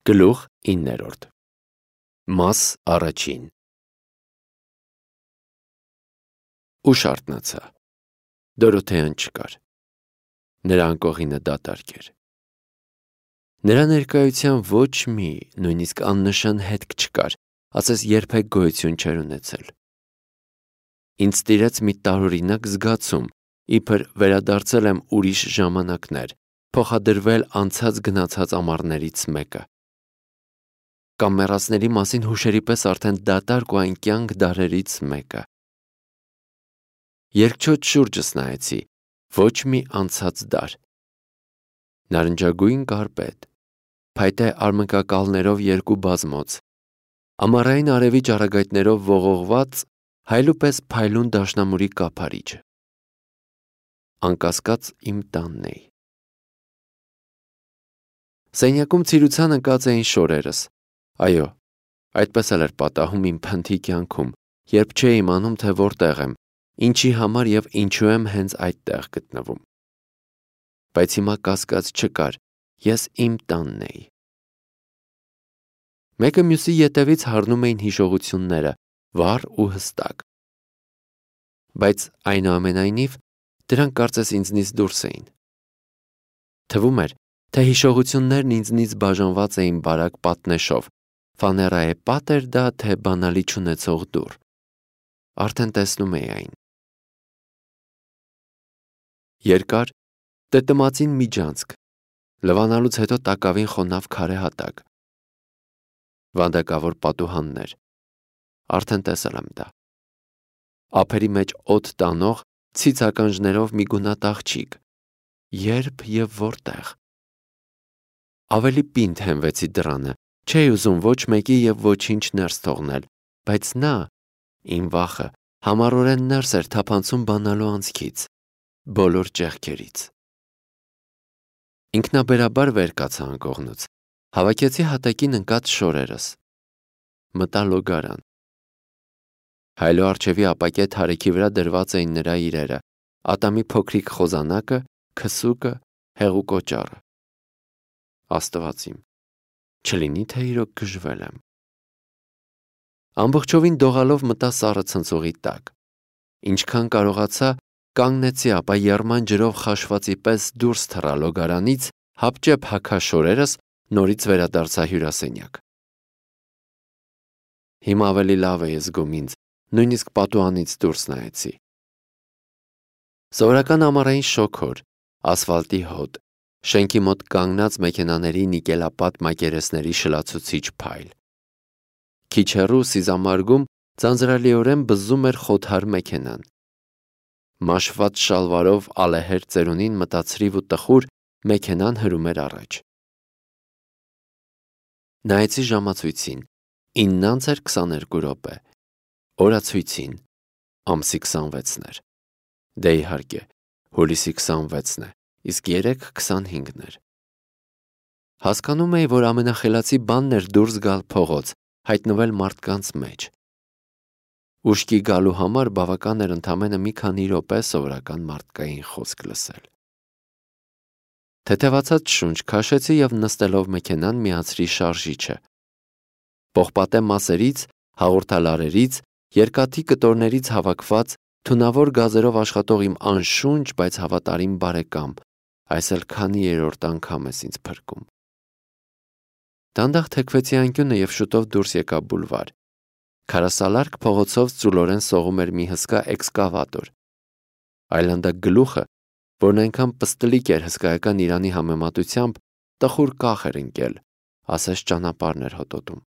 Գլուխ 9 Մաս առաջին Ուշ արթնացա։ Դորոթեան չկար։ Նրա անկողինը դատարկ էր։ Նրա ներկայության ոչ մի, նույնիսկ աննշան հետք չկար, ասես երբեք գոյություն չէր ունեցել։ Ինձ տիրեց մի տարօրինակ զգացում, իբր վերադարձել եմ ուրիշ ժամանակներ, փոխադրվել անցած գնացած ամառներից մեկը։ Կամ մեռածների մասին հուշերի պես արդեն դատարկ ու այն կյանք դարերից մեկը։ Երկչոտ շուրջս նայեցի, ոչ մի անցած դար։ Նարնջագույն կարպետ, փայտե արմնկակալներով երկու բազմոց, ամառային արևի ճառագայթներով ողողված, հայլու պես փայլուն դաշնամուրի կափարիչը։ Անկասկած իմ տանն էի։ Սենյակում ցիրուցան ընկած էին շորերս։ Այո, այդպես էլ էր պատահում իմ փնթի կյանքում, երբ չէի իմանում, թե որտեղ եմ, ինչի համար եւ ինչու եմ հենց այդտեղ գտնվում։ Բայց հիմա կասկած չկար, ես իմ տանն էի։ Մեկը մյուսի ետևից հառնում էին հիշողությունները, վառ ու հստակ։ Բայց այնուամենայնիվ դրանք կարծես ինձնից դուրս էին։ Թվում էր, թե հիշողություններն ինձնից բաժանված էին բարակ պատնեշով, ֆաներայե պատ էր դա, թե բանալի չունեցող դուռ։ Արդեն տեսնում էի այն։ Երկար, տտմածին միջանցք, լվանալուց հետո տակավին խոնավ քարե հատակ։ Վանդակավոր պատուհաններ։ Արդեն տեսել եմ դա։ Ափերի մեջ օդ տանող ցից ականջներով մի գունատ աղջիկ։ Երբ եւ որտեղ։ Ավելի պինդ հենվեցի դռանը, չէի ուզում ոչ մեկի եւ ոչինչ ներս թողնել, բայց նա, իմ վախը, համառորեն ներս էր թափանցում բանալու անցքից, բոլոր ճեղքերից։ Ինքնաբերաբար վեր կացա անկողնուց, հավաքեցի հատակին ընկած շորերս։ Մտա լոգարան։ Հայլու առջևի ապակե թարեքի վրա դրված էին նրա իրերը, ատամի փոքրիկ խոզանակը, քսուկը, հեղուկ օճառը։ Աստված իմ, չլինի թե իրոք գժվել եմ։ Ամբողջովին դողալով մտա սառը ցնցողի տակ։ Ինչքան կարողացա, կանգնեցի, ապա եռման ջրով խաշվածի պես դուրս թռա լոգարանից, հապճեպ հագա շորերս, նորից վերադարձա հյուրասենյակ։ Հիմա ավելի լավ էի զգում ինձ, նույնիսկ պատուհանից դուրս նայեցի։ Սովորական ամառային շոգոր, ասֆալտի հոտ, շենքի մոտ կանգնած մեքենաների նիկելապատ մակերեսների շլացուցիչ փայլ։ Քիչ հեռու սիզամարգում ձանձրալիորեն բզում էր խոթար մեքենան։ Մաշված շալվարով ալեհեր ծերունին մտածրիվ ու տխուր մեքենան հրում էր առաջ։ Նայեցի ժամացույցին, 9:22 րոպե, օրացույցին, ամսի 26-ն էր։ Դե իհարկե, հուլիսի 26-ն է, իսկ 3:25-ն էր։ Հասկանում էի, որ ամենախելացի բանն էր դուրս գալ փողոց, հայտնվել մարդկանց մեջ։ Ուշքի գալու համար բավական էր ընդամենը մի քանի րոպե սովորական մարդկային խոսք լսել։ Թեթևացած շունչ քաշեցի եւ նստելով մեքենան միացրի շարժիչը։ Պողպատե մասերից, հաղորդալարերից, երկաթի կտորներից հավաքված, թունավոր գազերով աշխատող իմ անշունչ, բայց հավատարիմ բարեկամ, այս էլ քանի երրորդ անգամ ես ինձ փրկում։ Դանդաղ թեքվեցի անկյունը եւ շուտով դուրս եկա բուլվար։ Քարասալարկ փողոցով ծուլորեն սողում էր մի հսկա էքսկավատոր։ Այլանդակ գլուխը, որն այնքան պստլիկ էր հսկայական Իրանի համեմատությամբ, տխուր կախ էր ընկել, ասես ճանապարհն էր հոտոտում։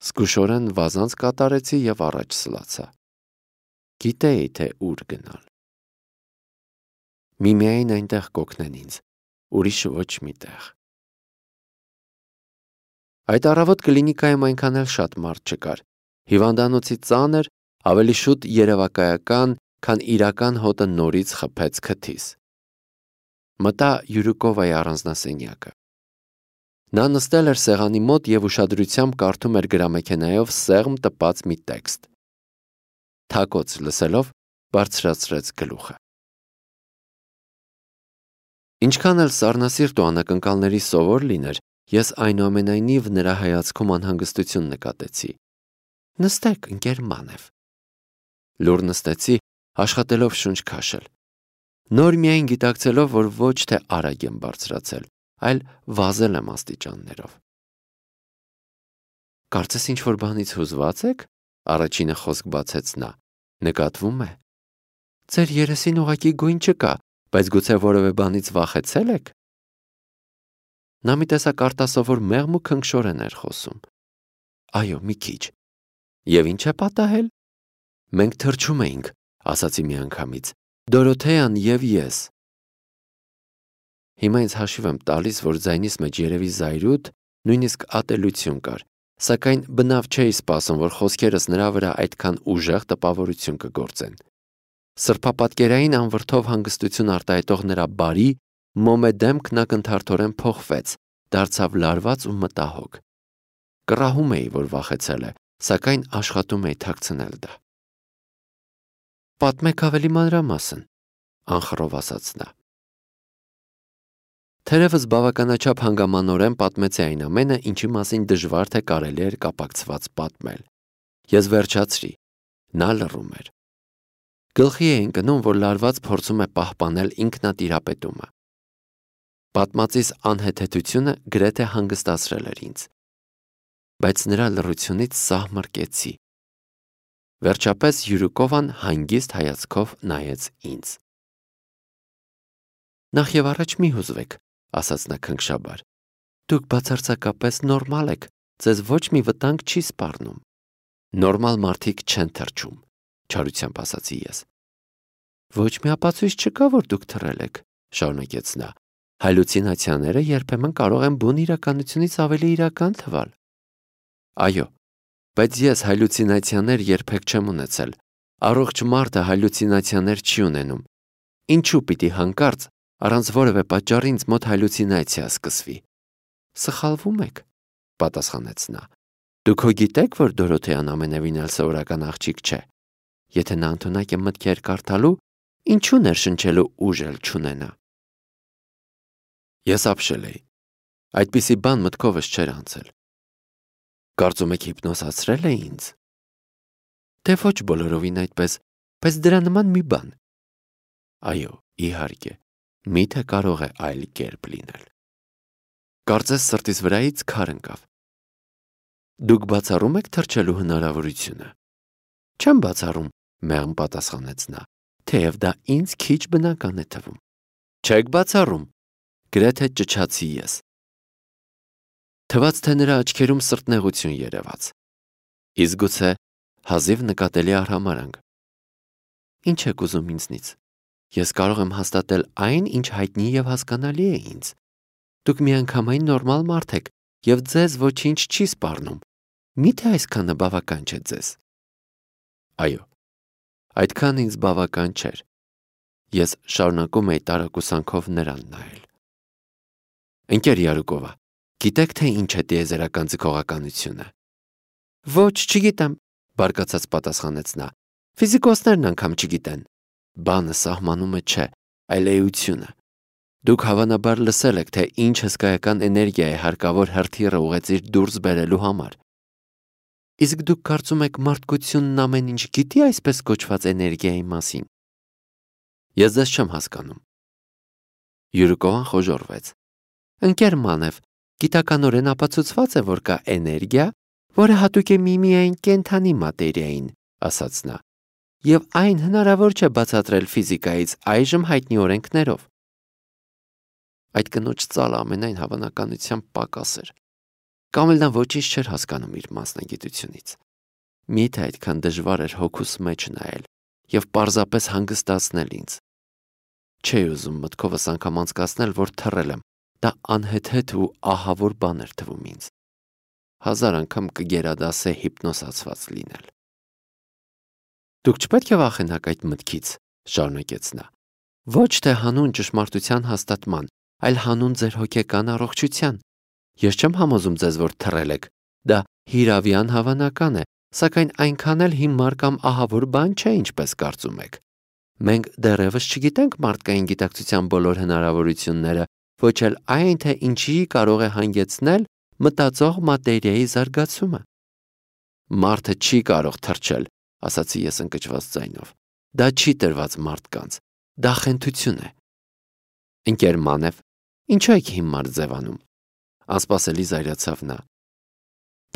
Զգուշորեն վազանց կատարեցի եւ առաջ սլացա։ Գիտեի, թե ուր գնալ։ Միմիայն այնտեղ կօգնեն ինձ, ուրիշ ոչ մի տեղ։ Այդ առավոտ կլինիկայում այնքան էլ շատ մարդ չկար։ Հիվանդանոցի ծանր, ավելի շուտ երևակայական, քան իրական հոտը նորից խփեց քթիս։ Մտա Յուրուկովայի առանձնասենյակը։ Նա նստել էր սեղանի մոտ եւ ուշադրությամբ կարդում էր գրամեքենայով սեղմ տպած մի տեքստ։ Թակոց լսելով բարձրացրեց գլուխը։ Ինչքան էլ սառնասիրտ ու անակնկալների սովոր լիներ, Ես այնուամենայնիվ նրա հայացքում անհանգստություն նկատեցի։ Նստեք, ընկեր Մանև։ Լուր նստեցի, աշխատելով շունչ քաշել։ Նոր միայն գիտակցելով, որ ոչ թե արագ եմ բարձրացել, այլ վազել եմ աստիճաններով։ Կարծես ինչ-որ բանից հուզված եք, առաջինը խոսք բացեց նա։ Նկատվում է։ Ձեր երեսին ուղղակի գույն չկա, բայց գուցե որևէ բանից վախեցել եք։ Նա մի տեսակ արտասովոր մեղմ ու քնքշորեն էր խոսում։ Այո, մի քիչ։ Եվ ինչ է պատահել։ Մենք թրջում էինք, ասացի միանգամից, Դորոթեան եւ ես։ Հիմա ինձ հաշիվ եմ տալիս, որ ձայնիս մեջ երևի զայրույթ, նույնիսկ ատելություն կար, սակայն բնավ չէի սպասում, որ խոսքերս նրա վրա այդքան ուժեղ տպավորություն կգործեն։ Սրբապատկերային անվրդով հանգստություն արտահայտող նրա բարի, մոմե դեմքն ակնթարթորեն փոխվեց, դարձավ լարված ու մտահոգ։ Կռահում էի, որ վախեցել է, սակայն աշխատում էի թաքցնել դա։ Պատմեք ավելի մանրամասն, անխռով ասաց նա։ Թերևս բավականաչափ հանգամանորեն պատմեցի այն ամենը, ինչի մասին դժվար թե կարելի էր կապակցված պատմել։ Ես վերջացրի, նա լռում էր։ Գլխի է ընկնում, որ լարված փորձում է պահպանել ինքնատիրապետումը։ Պատմածիս անհեթեթությունը գրեթե հանգստացրել էր ինձ։ Բայց նրա լռությունից սահմռկեցի։ Վերջապես Յուրուկովան հանգիստ հայացքով նայեց ինձ։ Նախ եւ առաջ մի հուզվեք, ասաց նա քնքշաբար։ Դուք բացարձակապես նորմալ եք, ձեզ ոչ մի վտանգ չի սպառնում։ Նորմալ մարդիկ չեն թրջում, չարությամբ ասացի ես։ Ոչ մի ապացույց չկա, որ դուք թռել եք, շարունակեց նա։ Հալյուցինացիաները երբեմն կարող են բուն իրականությունից ավելի իրական թվալ։ Այո, բայց ես հալյուցինացիաներ երբեք չեմ ունեցել։ Առողջ մարդը հալյուցինացիաներ չի ունենում։ Ինչու պիտի հանկարծ առանց որևէ պատճառի ինձ մոտ հալյուցինացիա սկսվի։ Սխալվում եք, պատասխանեց նա։ Դուք հո գիտեք, որ Դորոթեան ամենևին էլ սովորական աղջիկ չէ։ Եթե նա ընդունակ է մտքեր կարդալու, ինչու ներշնչելու ուժ էլ չունենա։ Ես ապշել էի։ Այդպիսի բան մտքովս չէր անցել։ Կարծում եք հիպնոսացրել է ինձ։ Թե ոչ բոլորովին այդպես, բայց դրա նման մի բան։ Այո, իհարկե, միթե կարող է այլ կերպ լինել։ Կարծես սրտիս վրայից քար ընկավ։ Դուք բացառում եք թրջելու հնարավորությունը։ Չեմ բացառում, մեղմ պատասխանեց նա, թեև դա ինձ քիչ բնական է թվում։ Չեք բացառում, գրեթե ճչացի ես։ Թվաց, թե նրա աչքերում սրտնեղություն երևաց։ Իսկ գուցե հազիվ նկատելի արհամարհանք։ Ինչ եք ուզում ինձնից։ Ես կարող եմ հաստատել այն, ինչ հայտնի եւ հասկանալի է ինձ։ Դուք միանգամայն նորմալ մարդ եք եւ ձեզ ոչինչ չի սպառնում։ Միթե այսքանը բավական չէ ձեզ։ Այո, այդքան ինձ բավական չէր։ Ես շարունակում էի տարակուսանքով նրան նայել։ Ընկեր Յարուկովա, գիտեք թե ինչ է տիեզերական ձգողականությունը։ Ոչ, չգիտեմ, բարկացած պատասխանեց նա։ Ֆիզիկոսներն անգամ չգիտեն։ Բանը սահմանումը չէ, այլ էությունը։ Դուք հավանաբար լսել եք, թե ինչ հսկայական էներգիա է հարկավոր հրթիռը ուղեծիր դուրս բերելու համար։ Իսկ դուք կարծում եք մարդկությունն ամեն ինչ գիտի այսպես կոչված էներգիայի մասին։ Ես ձեզ չեմ հասկանում։ Յուրուկովան խոժոռվեց։ Ընկեր Մանև, գիտականորեն ապացուցված է, որ կա էներգիա, որը հատուկ է միմիային կենդանի մատերիային, ասաց նա, եւ այն հնարավոր չէ բացատրել ֆիզիկայից այժմ հայտնի օրենքներով։ Այդ կնոջ ծալը ամենայն հավանականությամբ պակաս էր։ Կամ էլ նա ոչինչ չէր հասկանում իր մասնագիտությունից։ Միթե այդքան դժվար էր հոգուս մեջ նայել եւ պարզապես հանգստացնել ինձ։ Չէի ուզում մտքովս անգամ անցկացնել, որ թռել եմ։ Դա անհեթեթ ու ահավոր բան էր թվում ինձ։ Հազար անգամ կգերադասե հիպնոսացված լինել։ Դուք չպետք է վախենաք այդ մտքից, շարունակեց նա։ Ոչ թե հանուն ճշմարտության հաստատման, այլ հանուն ձեր հոգեկան առողջության։ Ես չեմ համոզում ձեզ, որ թռել եք։ Դա հիրավյան հավանական է, սակայն այնքան էլ հիմար կամ ահավոր բան չէ, ինչպես կարծում եք։ Մենք դեռևս չգիտենք մարդկային գիտակցության բոլոր հնարավորությունները ոչ էլ այն, թե ինչի կարող է հանգեցնել մտածող մատերիայի զարգացումը։ Մարդը չի կարող թռչել, ասացի ես ընկճված ձայնով։ Դա չի տրված մարդկանց, դա խենթություն է։ Ընկեր Մանև, ինչու եք հիմար ձևանում։ Անսպասելի զայրացավ նա։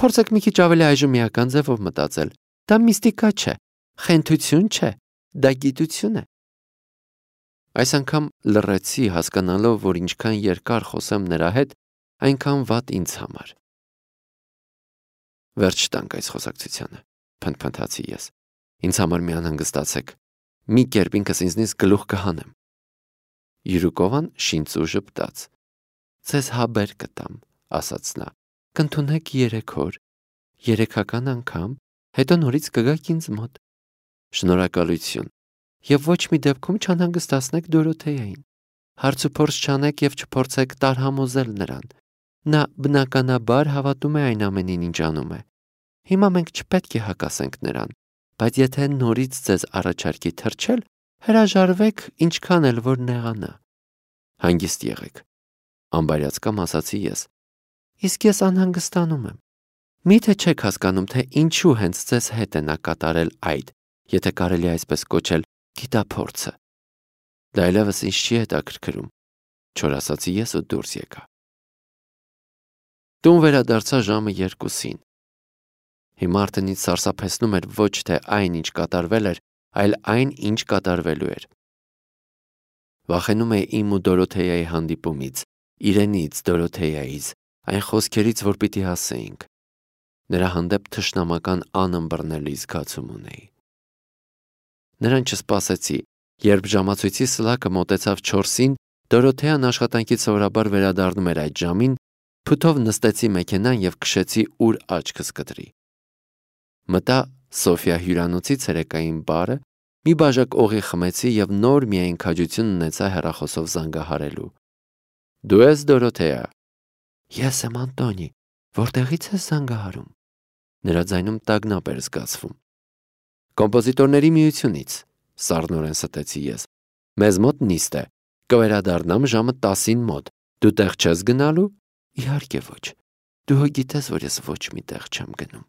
Փորձեք մի քիչ ավելի այժմիական ձևով մտածել։ Դա միստիկա չէ, խենթություն չէ, դա գիտություն է։ Այս անգամ լռեցի, հասկանալով, որ ինչքան երկար խոսեմ նրա հետ, այնքան վատ ինձ համար։ Վերջ տանք այս խոսակցությանը, փնթփնթացի ես։ Ինձ համար մի անհանգստացեք։ Մի կերպ ինքս ինձնից գլուխ կհանեմ։ Յուրուկովան շինծու ժպտաց։ Ձեզ հաբեր կտամ, ասաց նա։ Կընդունեք 3 օր, 3-ական անգամ, հետո նորից կգաք ինձ մոտ։ Շնորհակալություն։ Եվ ոչ մի դեպքում չանհանգստացնեք Դորոթեյային։ Հարց ու փորձ չանեք եւ չփորձեք տարհամոզել նրան։ Նա բնականաբար հավատում է այն ամենին, ինչ անում է։ Հիմա մենք չպետք է հակասենք նրան, բայց եթե նորից ձեզ առաջարկի թռչել, հրաժարվեք, ինչքան էլ որ նեղանա։ Հանգիստ եղեք, անբարյացկամ ասացի ես։ Իսկ ես անհանգստանում եմ։ Միթե չեք հասկանում, թե ինչու հենց ձեզ հետ է նա կատարել այդ, եթե կարելի է այսպես կոչել, գիտափորձը։ Դա այլևս ինձ չի հետաքրքրում, չոր ասացի ես ու դուրս եկա։ Տուն վերադարձա ժամը 2-ին։ Հիմա արդեն ինձ սարսափեցնում էր ոչ թե այն, ինչ կատարվել էր, այլ այն, ինչ կատարվելու էր։ Վախենում էի իմ ու Դորոթեյայի հանդիպումից, իրենից, Դորոթեյայից, այն խոսքերից, որ պիտի ասեինք։ Նրա հանդեպ թշնամական անըմբռնելի զգացում ունեի։ Նրան չսպասեցի, երբ ժամացույցի սլաքը մոտեցավ 4-ին, Դորոթեյան աշխատանքից սովորաբար վերադառնում էր այդ ժամին, փութով նստեցի մեքենան եւ քշեցի ուր աչքս կտրի։ Մտա Սոֆիա հյուրանոցի ցերեկային բարը, մի բաժակ օղի խմեցի եւ նոր միայն քաջություն ունեցա հեռախոսով զանգահարելու։ Դու ես Դորոթեա։ Ես եմ Անտոնի, որտեղից ես զանգահարում։ Նրա ձայնում տագնապ էր զգացվում։ Կոմպոզիտորների միությունից, սառնորեն ստեցի ես։ Մեզ մոտ նիստ է, կվերադառնամ ժամը 10-ին մոտ։ Դու տեղ չես գնալու։ Իհարկե ոչ։ Դու գիտես, որ ես ոչ մի տեղ չեմ գնում։